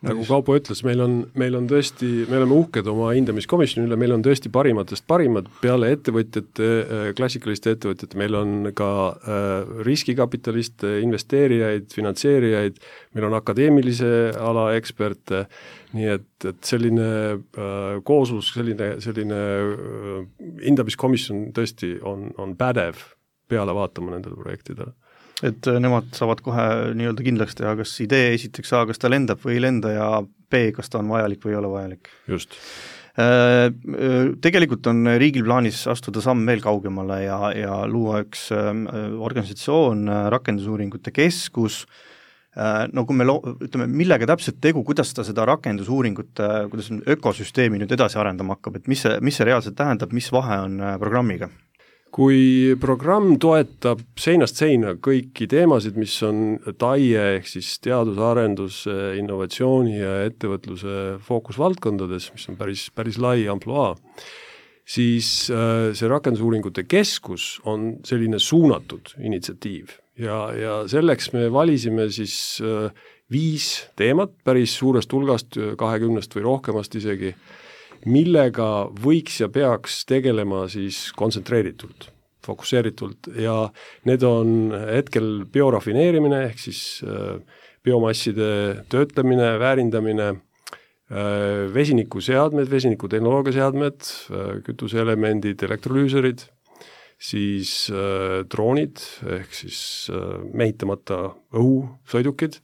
Nagu Kaupo ütles, meil on, meil on tõesti, me oleme uhked oma hindamiskomisjoni üle, meil on tõesti parimatest parimad peale ettevõtjate, klassikaliste ettevõtjate, meil on ka äh, riskikapitaliste, investeerijaid, finantseerijaid, meil on akadeemilise ala eksperte, nii et, et selline äh, kooslus, selline, selline äh, hindamiskomisjon tõesti on, on pädev peale vaatama nendele projektidele. Et nemad saavad kohe nii-öelda kindlaks teha, kas idee esiteks A, kas ta lendab või ei lenda ja B, kas ta on vajalik või ei ole vajalik. Just. Tegelikult on riigil plaanis astuda samm veel kaugemale ja, ja luua üks organisatsioon, rakendusuuringute keskus, no kui me lo- ütleme, millega täpselt tegu, kuidas ta seda rakendusuuringute, kuidas ökosüsteemi nüüd edasi arendama hakkab, et mis see, mis see reaalselt tähendab, mis vahe on programmiga? Kui programm toetab seinast seina kõiki teemasid, mis on T A I E ehk siis teadus-arendus, innovatsiooni ja ettevõtluse fookusvaldkondades, mis on päris, päris lai amploa, siis see rakendusuuringute keskus on selline suunatud initsiatiiv ja, ja selleks me valisime siis viis teemat päris suurest hulgast, kahekümnest või rohkemast isegi, millega võiks ja peaks tegelema siis kontsentreeritult, fokusseeritult ja need on hetkel biorafineerimine ehk siis biomasside töötlemine, väärindamine, vesinikuseadmed, vesinikutehnoloogiaseadmed, kütuseelemendid, elektrolüüserid, siis droonid ehk siis mehitamata õhusõidukid,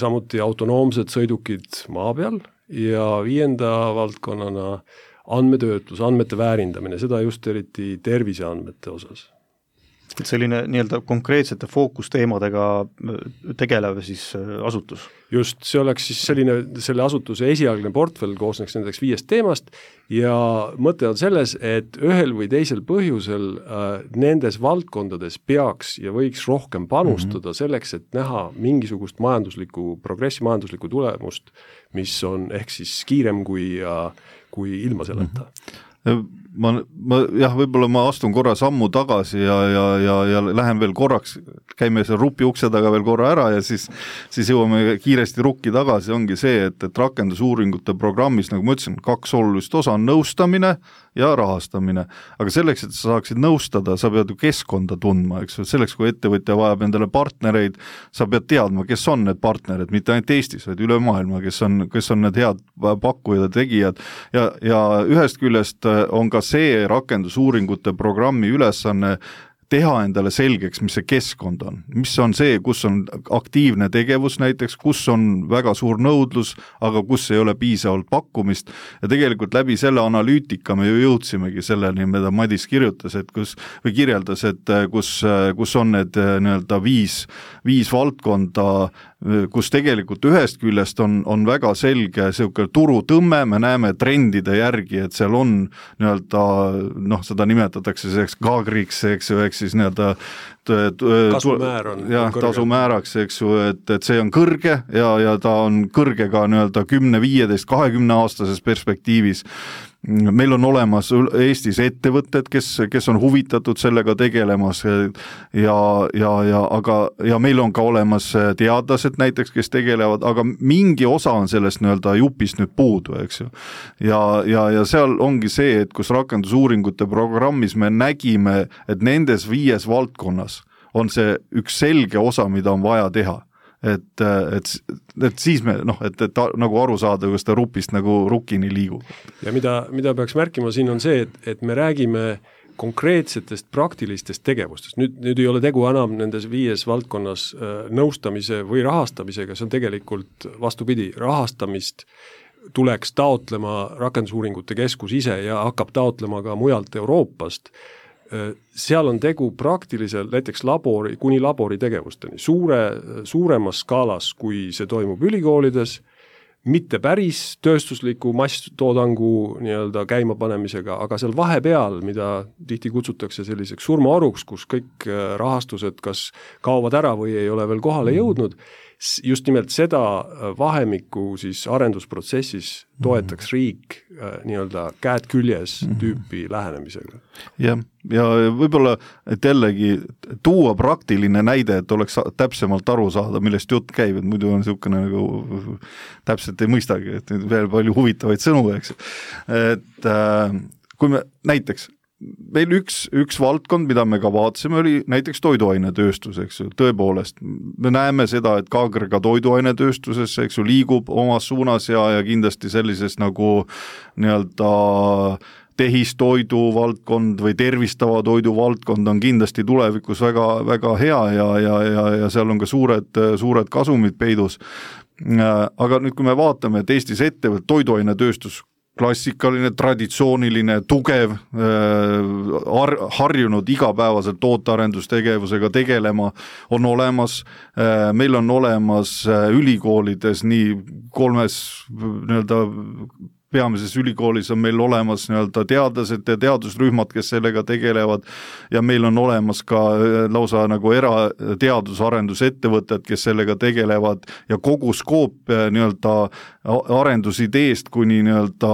samuti autonoomsed sõidukid maa peal, ja viienda valdkonnana andmetöötlus, andmete väärindamine, seda just eriti terviseandmete osas. Selline nii-öelda konkreetsete fookusteemadega tegelev siis asutus? Just, see oleks siis selline, selle asutuse esialgne portfell koosneks nendeks viiest teemast ja mõte on selles, et ühel või teisel põhjusel äh, nendes valdkondades peaks ja võiks rohkem panustada mm-hmm. selleks, et näha mingisugust majanduslikku, progressi majanduslikku tulemust, mis on ehk siis kiirem kui, kui ilma selleta. Mm-hmm. Ma, ma, jah, võib-olla ma astun korra sammu tagasi ja, ja, ja, ja lähen veel korraks, käime seal rupi ukse taga veel korra ära ja siis, siis jõuame kiiresti rukki tagasi, ongi see, et, et rakendusuuringute programmis, nagu ma ütlesin, kaks olulist osa on nõustamine ja rahastamine. Aga selleks, et sa saaksid nõustada, sa pead ju keskkonda tundma, eks, selleks, kui ettevõtja vajab endale partnereid, sa pead teadma, kes on need partnerid, mitte ainult Eestis, vaid üle maailma, kes on, kes on need head pakkujad ja tegijad ja, ja ühest küljest on ka see rakendusuuringute programmi ülesanne teha endale selgeks, mis see keskkond on, mis on see, kus on aktiivne tegevus näiteks, kus on väga suur nõudlus, aga kus ei ole piisavalt pakkumist ja tegelikult läbi selle analüütika me ju jõudsimegi selleni, mida Madis kirjutas, et kus, või kirjeldas, et kus, kus on need nii-öelda viis, viis valdkonda, kus tegelikult ühest küljest on, on väga selge selline turutõmme, me näeme trendide järgi, et seal on nii-öelda, noh, seda nimetatakse selleks kaagriks, eks ju, eks siis nii-öelda kasumäär on jah, tasumääraks, eks ju, et, et see on kõrge ja, ja ta on kõrge ka nii-öelda kümne, viieteist, kahekümne aastases perspektiivis. Meil on olemas Eestis ettevõtted, kes, kes on huvitatud sellega tegelemas ja, ja, ja, aga, ja meil on ka olemas teadlased näiteks, kes tegelevad, aga mingi osa on sellest nii-öelda jupist nüüd puudu, eks ju. Ja, ja, ja seal ongi see, et kus rakendusuuringute programmis me nägime, et nendes viies valdkonnas on see üks selge osa, mida on vaja teha. Et, et, et siis me, noh, et, et nagu aru saada, kus ta rupist nagu rukkini liigub. Ja mida, mida peaks märkima siin on see, et, et me räägime konkreetsetest praktilistest tegevustest. Nüüd, nüüd ei ole tegu enam nendes viies valdkonnas nõustamise või rahastamisega, see on tegelikult vastupidi, rahastamist tuleks taotlema rakendusuuringute keskus ise ja hakkab taotlema ka mujalt Euroopast. Seal on tegu praktiliselt näiteks labori, kuni labori tegevusteni, suure, suuremas skaalas, kui see toimub ülikoolides, mitte päris tööstusliku masstoodangu nii-öelda käimapanemisega, aga seal vahepeal, mida tihti kutsutakse selliseks surmaoruks, kus kõik rahastused kas kaovad ära või ei ole veel kohale jõudnud, just nimelt seda vahemikku siis arendusprotsessis toetaks riik nii-öelda käed küljes tüüpi lähenemisega. Jah, ja võib-olla, et jällegi tuua praktiline näide, et oleks täpsemalt aru saada, millest jutt käib, et muidu on niisugune nagu täpselt ei mõistagi, et veel palju huvitavaid sõnu, eks. Et kui me näiteks meil üks, üks valdkond, mida me ka vaatasime, oli näiteks toiduainetööstus, eks ju, tõepoolest. Me näeme seda, et Kaager ka toiduainetööstuses, eks ju, liigub omas suunas ja, ja kindlasti sellises nagu nii-öelda tehistoidu valdkond või tervistava toidu valdkond on kindlasti tulevikus väga, väga hea ja, ja, ja, ja seal on ka suured, suured kasumid peidus. Aga nüüd, kui me vaatame, et Eestis ettevõt toiduainetööstus klassikaline, traditsiooniline, tugev, har, harjunud igapäevaselt tootearendustegevusega tegelema on olemas. Meil on olemas ülikoolides nii kolmes nii-öelda peamises ülikoolis on meil olemas nii-öelda teadlased ja teadusrühmad, kes sellega tegelevad ja meil on olemas ka lausa nagu erateadusarendusettevõtted, kes sellega tegelevad ja kogu skoop nii-öelda arendusideest kuni nii-öelda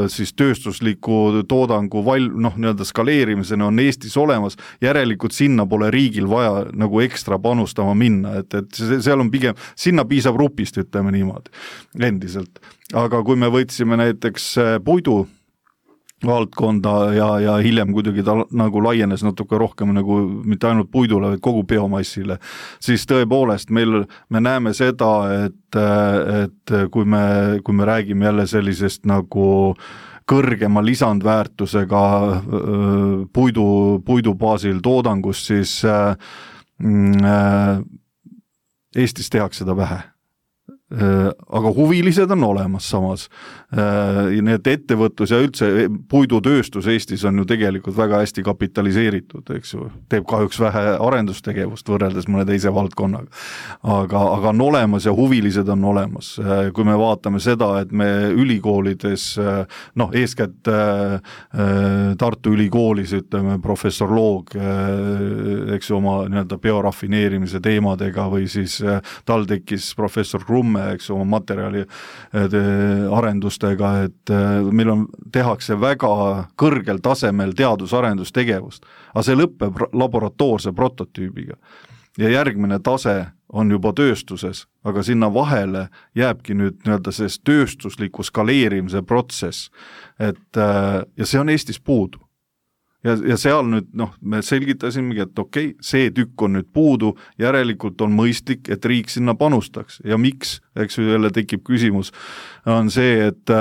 siis tööstusliku toodangu val, noh, nii-öelda skaleerimisena on Eestis olemas, järelikult sinna pole riigil vaja nagu ekstra panustama minna, et, et seal on pigem, sinna piisab rupist, ütleme niimoodi, endiselt. Aga kui me võtsime näiteks puidu valdkonda ja, ja hiljem kuidagi ta nagu laienes natuke rohkem nagu mitte ainult puidule, vaid kogu biomassile, siis tõepoolest meil, me näeme seda, et, et kui me, kui me räägime jälle sellisest nagu kõrgema lisandväärtusega puidu, puidu baasil toodangust, siis äh, Eestis tehakse seda vähe. Aga huvilised on olemas samas. Need ettevõtlus ja üldse puidutööstus Eestis on ju tegelikult väga hästi kapitaliseeritud, eks ju. Teeb kahjuks vähe arendustegevust võrreldes mõne teise valdkonnaga. Aga, aga on olemas ja huvilised on olemas. Kui me vaatame seda, et me ülikoolides, noh, eeskätt Tartu ülikoolis, ütleme, professor Loog, eks ju, oma nii-öelda biorafineerimise teemadega või siis TalTechis professor Krumme, eks oma materjali arendustega, et meil on, tehakse väga kõrgel tasemel teadusarendustegevust, aga see lõpeb laboratoorse prototüübiga. Ja järgmine tase on juba tööstuses, aga sinna vahele jääbki nüüd nii-öelda sellest tööstusliku skaleerimise protsess, et, ja see on Eestis puudu. Ja, ja seal nüüd, noh, me selgitasimegi, et okei, okay, see tükk on nüüd puudu, järelikult on mõistlik, et riik sinna panustaks. Ja miks, eks ju jälle tekib küsimus, on see, et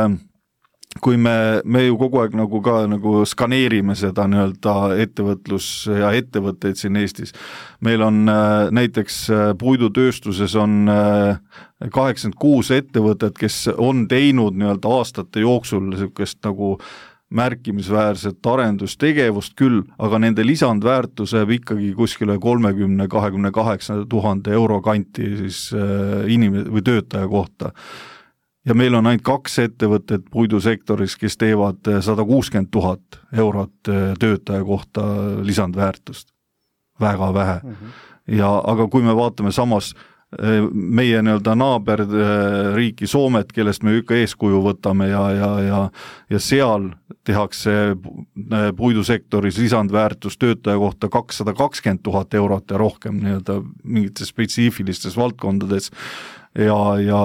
kui me, me ju kogu aeg nagu ka nagu skaneerime seda nii-öelda ettevõtlus ja ettevõtteid siin Eestis. Meil on näiteks puidutööstuses on kaheksakümmend kuus ettevõtet, kes on teinud nii-öelda aastate jooksul niisugust nagu märkimisväärset arendustegevust küll, aga nende lisandväärtus jääb ikkagi kuskile kolmekümne kuni kahekümne kaheksa tuhande euro kanti siis inim- või töötaja kohta. Ja meil on ainult kaks ettevõtet puidusektoris, kes teevad sada kuuskümmend tuhat eurot töötaja kohta lisandväärtust. Väga vähe. Mm-hmm. Ja, aga kui me vaatame samas meie nii-öelda naaberriiki Soomet, kellest me ikka eeskuju võtame ja, ja, ja, ja seal tehakse puidusektoris lisandväärtus töötaja kohta kakssada kakskümmend tuhat eurot ja rohkem nii-öelda mingites spetsiifilistes valdkondades. Ja, ja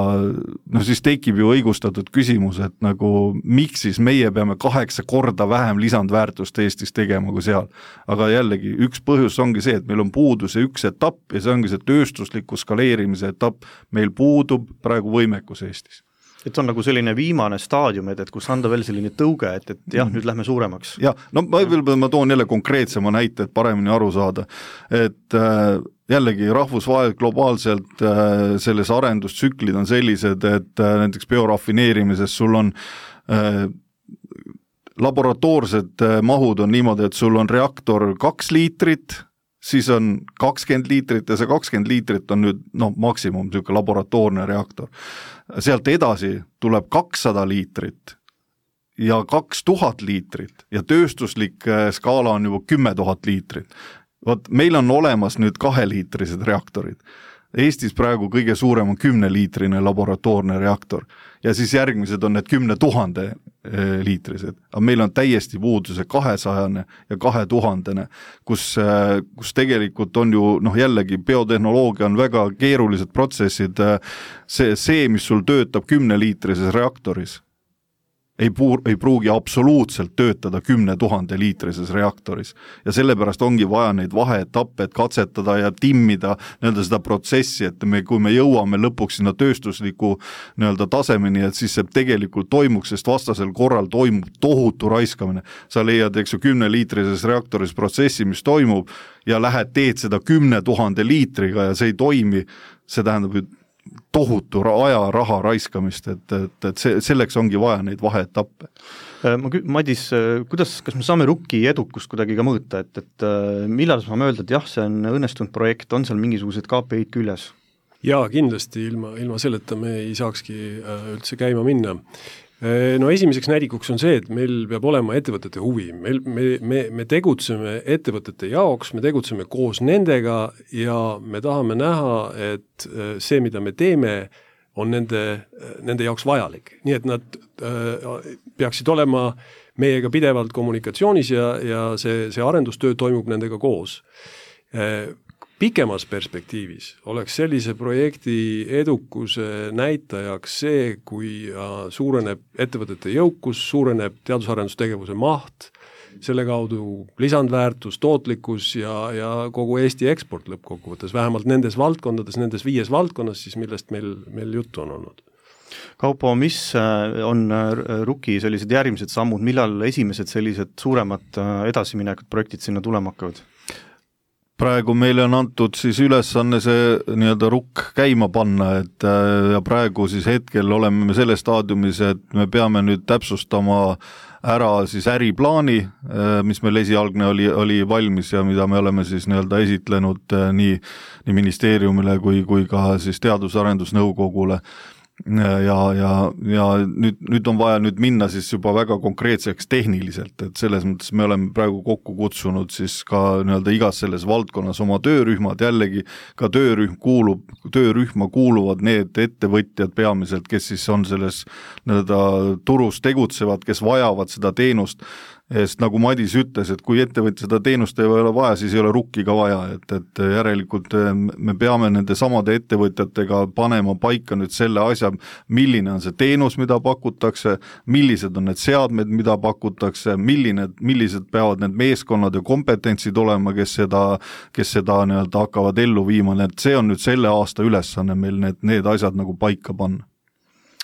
no siis tekib ju õigustatud küsimus, et nagu miks siis meie peame kaheksa korda vähem lisandväärtust Eestis tegema kui seal. Aga jällegi üks põhjus ongi see, et meil on puudus ja üks etapp ja see ongi see tööstusliku skaleerimise etapp. Meil puudub praegu võimekus Eestis. Et on nagu selline viimane staadium, et, et kus anda veel selline tõuge, et, et jah, nüüd lähme suuremaks. Ja, no ma, ma toon jälle konkreetsema näite, et paremini aru saada. Et äh, jällegi rahvusvahel globaalselt äh, selles arendustsüklid on sellised, et äh, näiteks biorafineerimises sul on äh, laboratoorsed äh, mahud on niimoodi, et sul on reaktor kaks liitrit, siis on kakskümmend liitrit ja see kakskümmend liitrit on nüüd no, maksimum selline laboratoorne reaktor. Sealt edasi tuleb kakssada liitrit ja kaks tuhat liitrit ja tööstuslik skaala on juba kümme tuhat liitrit. Vaat, meil on olemas nüüd kaheliitrised reaktorid. Eestis praegu kõige suurem on kümneliitrine laboratoorne reaktor ja siis järgmised on need kümne tuhande liitrised. Aga meil on täiesti puuduse kahesajane ja kahe tuhandene, kus, kus tegelikult on ju noh jällegi biotehnoloogia on väga keerulised protsessid. See, see mis sul töötab kümneliitrises reaktoris, ei, puur, ei pruugi absoluutselt töötada kümne tuhande liitrises reaktoris. Ja sellepärast ongi vaja neid vaheetappe, et katsetada ja timmida nii-öelda seda protsessi, et me, kui me jõuame lõpuks sinna tööstusliku nii-öelda tasemeni, et siis see tegelikult toimuks, sest vastasel korral toimub tohutu raiskamine. Sa leiad, eks ju, kümne liitrises reaktoris protsessi, mis toimub ja lähed teed seda kümne tuhande liitriga ja see ei toimi, see tähendab, et tohutu aja, raha raiskamist, et, et, et see, selleks ongi vaja neid vaheetappe. Ma, Madis, kuidas, kas me saame Rukki edukust kuidagi ka mõõta, et, et millal saame öelda, et jah, see on õnnestunud projekt, on seal mingisugused K P I-d küljes? Jaa, kindlasti ilma, ilma selleta me ei saakski üldse käima minna. No esimeseks näidikuks on see, et meil peab olema ettevõtete huvi. Meil, me, me, me tegutseme ettevõtete jaoks, me tegutseme koos nendega ja me tahame näha, et see, mida me teeme, on nende, nende jaoks vajalik. Nii et nad äh, peaksid olema meiega pidevalt kommunikatsioonis ja, ja see, see arendustöö toimub nendega koos. Äh, Pikemas perspektiivis oleks sellise projekti edukuse näitajaks see, kui suureneb ettevõtete jõukus, suureneb teadusarendustegevuse maht, selle kaudu lisandväärtus, tootlikkus ja, ja kogu Eesti eksport lõppkokkuvõttes, vähemalt nendes valdkondades, nendes viies valdkonnas, siis millest meil, meil juttu on olnud. Kaupo, mis on Rukki sellised järgmised sammud, millal esimesed sellised suuremad edasiminekut projektid sinna tulema hakkavad? Praegu meile on antud siis ülesanne see nii-öelda Rukk käima panna, et ja praegu siis hetkel oleme me selles staadiumis, et me peame nüüd täpsustama ära siis äriplaani, mis meil esialgne oli, oli valmis ja mida me oleme siis nii-öelda esitlenud nii, nii ministeeriumile kui, kui ka siis teadus-arendusnõukogule. Ja, ja, ja nüüd, nüüd on vaja nüüd minna siis juba väga konkreetseks tehniliselt, et selles mõttes me oleme praegu kokku kutsunud siis ka nii-öelda igas selles valdkonnas oma töörühmad, jällegi ka töörühm kuulub, töörühma kuuluvad need ettevõtjad peamiselt, kes siis on selles nii-öelda turus tegutsevad, kes vajavad seda teenust. Sest nagu Madis ütles, et kui ettevõtja seda teenust ei ole vaja, siis ei ole Rukki ka vaja, et, et järelikult me peame nende samade ettevõtjatega panema paika nüüd selle asja, milline on see teenus, mida pakutakse, millised on need seadmed, mida pakutakse, milline, millised peavad need meeskonnad ja kompetentsid olema, kes seda, kes seda nii-öelda hakkavad ellu viima, et see on nüüd selle aasta ülesanne meil need, need asjad nagu paika panna.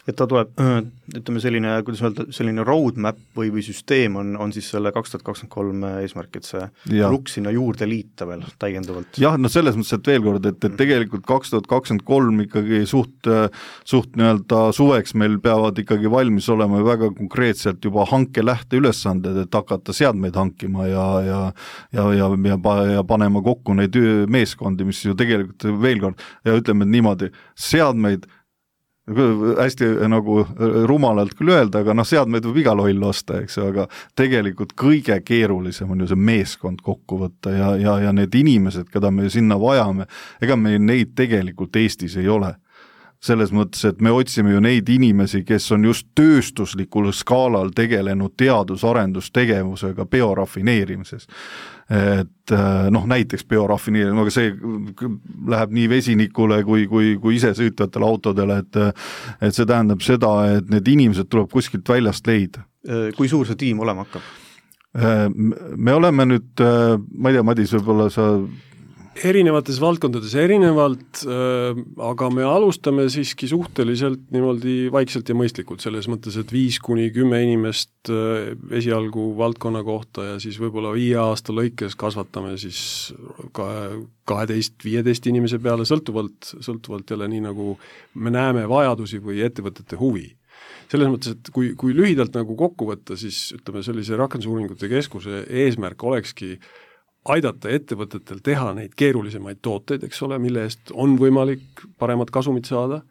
et ta tuleb, ütleme selline, kuidas öelda, selline roadmap või, või süsteem on, on siis selle kaks tuhat kakskümmend kolm eesmärk, et see ja. Rukk sinna juurde liita veel täiendavalt. jah, no selles mõttes, et veel kord, et, et tegelikult kaks tuhat kakskümmend kolm ikkagi suht, suht nii-öelda suveks meil peavad ikkagi valmis olema väga konkreetselt juba hanke lähteülesanded, et hakata seadmeid hankima ja, ja, ja, ja, ja, ja panema kokku neid meeskondi, mis ju tegelikult veel kord, ja ütleme niimoodi, seadmeid hästi nagu rumalalt küll öelda, aga noh, seadmeid võib igal holl osta, eks ju, aga tegelikult kõige keerulisem on ju see meeskond kokku võtta ja, ja, ja need inimesed, keda me sinna vajame, ega meil neid tegelikult Eestis ei ole. Selles mõttes, et me otsime ju neid inimesi, kes on just tööstuslikul skaalal tegelenud teadus-arendustegevusega biorafineerimises. Et noh, näiteks biorafineerimine, aga see läheb nii vesinikule kui, kui, kui ise sõitvatele autodele, et, et see tähendab seda, et need inimesed tuleb kuskilt väljast leida. Kui suur see tiim olema hakkab? Me oleme nüüd, ma ei tea, Madis, võib-olla sa erinevates valdkondades erinevalt, aga me alustame siiski suhteliselt niimoodi vaikselt ja mõistlikult, selles mõttes, et viis kuni kümme inimest esialgu valdkonna kohta ja siis võib-olla viie aasta lõikes kasvatame siis kaheteist viieteist inimese peale, sõltuvalt, sõltuvalt jälle nii nagu me näeme vajadusi või ettevõtete huvi. Selles mõttes, et kui, kui lühidalt nagu kokku võtta, siis ütleme sellise rakendusuuringute keskuse eesmärk olekski aidata ettevõtetel teha neid keerulisemaid tooteid, eks ole, mille eest on võimalik paremat kasumit saada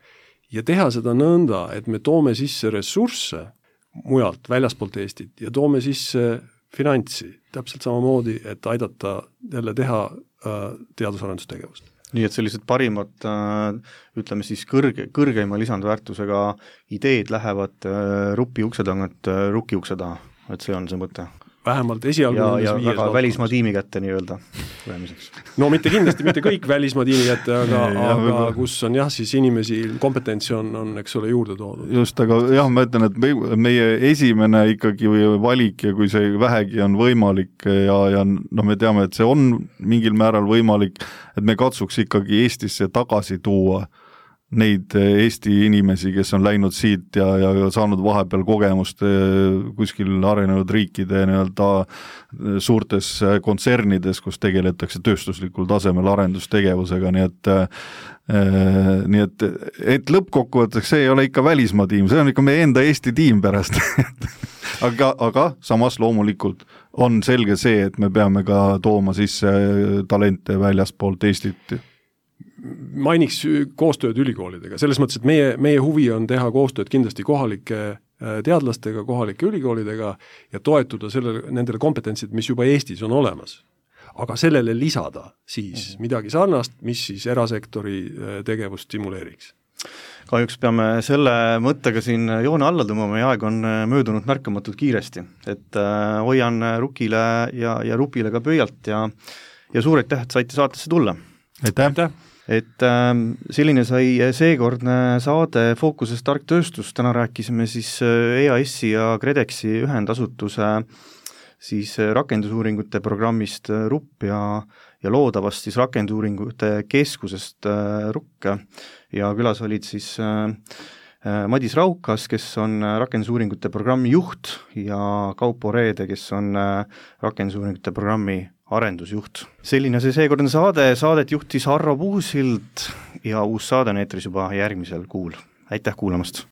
ja teha seda nõnda, et me toome sisse ressursse mujalt, väljaspoolt Eestit ja toome sisse finantsi, täpselt samamoodi, et aidata jälle teha äh, teadus-arendustegevust. Nii et sellised parimad, äh, ütleme siis kõrge, kõrgeima lisandväärtusega ideed lähevad äh, rupi ukse tagant äh, ruki ukse taha, et see on see mõte. Vähemalt esialgu ja, ja väga välismaa tiimi kätte nii-öelda lähemiseks. No mitte kindlasti, mitte kõik välismaa tiimi kätte, aga, aga kus on jah, siis inimesi, kompetentsi on, on, eks ole, juurde toodud. Just, aga jah, ma ütlen, et meie esimene ikkagi valik ja kui see vähegi on võimalik ja, ja no me teame, et see on mingil määral võimalik, et me katsuks ikkagi Eestisse tagasi tuua neid Eesti inimesi, kes on läinud siit ja, ja saanud vahepeal kogemust kuskil arenenud riikide nii-öelda suurtes kontsernides, kus tegeletakse tööstuslikul tasemel arendustegevusega, nii et nii et, et lõppkokkuvõtteks see ei ole ikka välismaa tiim, see on ikka meie enda Eesti tiim pärast. aga, aga samas loomulikult on selge see, et me peame ka tooma sisse talente väljaspoolt Eestit. Mainiks koostööd ülikoolidega, selles mõttes, et meie, meie huvi on teha koostööd kindlasti kohalike teadlastega, kohalike ülikoolidega ja toetuda sellele, nendele kompetentsid, mis juba Eestis on olemas. Aga sellele lisada siis midagi sarnast, mis siis erasektori tegevust stimuleeriks. Kahjuks peame selle mõttega siin joone alla tõmbama ja aeg on möödunud märkamatult kiiresti, et hoian Rukile ja, ja Rupile ka pöialt ja, ja suur aitäh, et saite saatesse tulla. Aitäh! aitäh. Et äh, selline sai seekordne saade Fookuses tark tööstus, täna rääkisime siis E A S-i ja Credexi ühendasutuse siis rakendusuuringute programmist Rupp ja, ja loodavast siis rakendusuuringute keskusest äh, Rukk ja külas olid siis äh, Madis Raukas, kes on rakendusuuringute programmi juht ja Kaupo Reede, kes on äh, rakendusuuringute programmi arendusjuht. Selline see seekordne saade, saadet juhtis Harro Puusild ja uus saade on eetris juba järgmisel kuul. Aitäh kuulamast!